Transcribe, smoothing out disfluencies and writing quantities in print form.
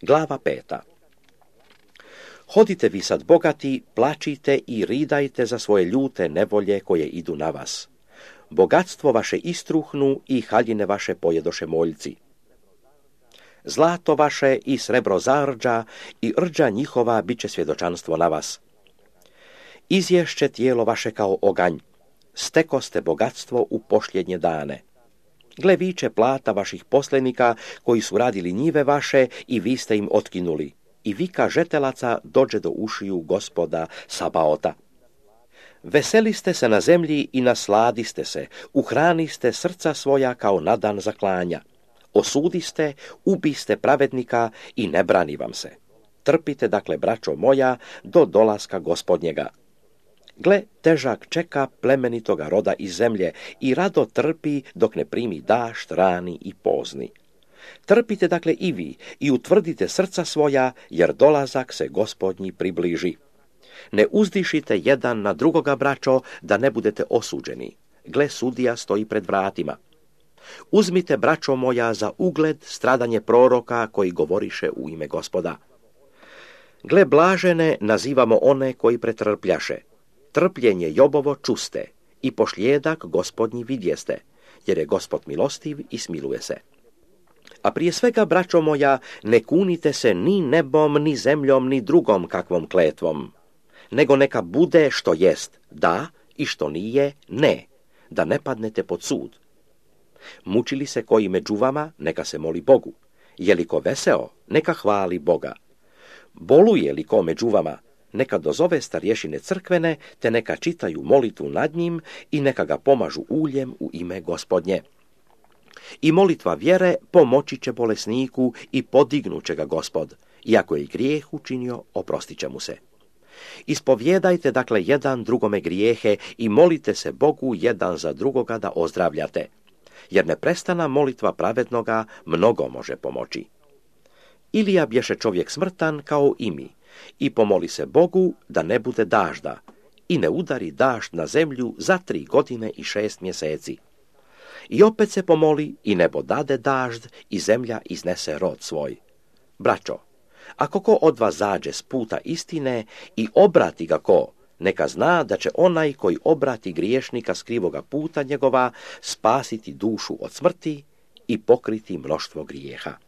Glava 5. Hodite vi sad bogati, plačite i ridajte za svoje ljute nevolje koje idu na vas. Bogatstvo vaše istruhnu i haljine vaše pojedoše moljci. Zlato vaše i srebro zarđa i rđa njihova bit će svjedočanstvo na vas. Izješće tijelo vaše kao oganj, stekoste bogatstvo u posljednje dane. Gle viče plata vaših poslenika koji su radili njive vaše i vi ste im otkinuli. I vika žetelaca dođe do ušiju Gospoda Sabaota. Veseliste se na zemlji i nasladiste se, uhraniste srca svoja kao na dan zaklanja. Osudiste, ubiste pravednika i ne brani vam se. Trpite dakle, braćo moja, do dolaska Gospodnjega. Gle, težak čeka plemenitoga roda iz zemlje i rado trpi dok ne primi dašt rani i pozni. Trpite dakle i vi i utvrdite srca svoja, jer dolazak se Gospodnji približi. Ne uzdišite jedan na drugoga, braćo, da ne budete osuđeni. Gle, sudija stoji pred vratima. Uzmite, braćo moja, za ugled stradanje proroka koji govoriše u ime Gospoda. Gle, blažene nazivamo one koji pretrpljaše. Trpljenje Jobovo čuste i pošljedak Gospodnji vidjeste, jer je Gospod milostiv i smiluje se. A prije svega, braćo moja, ne kunite se ni nebom, ni zemljom, ni drugom kakvom kletvom, nego neka bude što jest da i što nije ne, da ne padnete pod sud. Mučili se koji među vama, neka se moli Bogu. Je li ko veseo, neka hvali Boga. Boluje li ko među vama, neka dozove starješine crkvene, te neka čitaju molitvu nad njim i neka ga pomažu uljem u ime Gospodnje. I molitva vjere pomoći će bolesniku i podignuće ga Gospod. Iako je grijeh učinio, oprostit će mu se. Ispovjedajte dakle jedan drugome grijehe i molite se Bogu jedan za drugoga da ozdravljate. Jer neprestana molitva pravednoga mnogo može pomoći. Ilija bješe čovjek smrtan kao i mi i pomoli se Bogu da ne bude dažda i ne udari dažd na zemlju za 3 godine i 6 mjeseci. I opet se pomoli i nebo dade dažd i zemlja iznese rod svoj. Braćo, ako ko od vas zađe s puta istine i obrati ga ko, neka zna da će onaj koji obrati griješnika s krivoga puta njegova spasiti dušu od smrti i pokriti mnoštvo grijeha.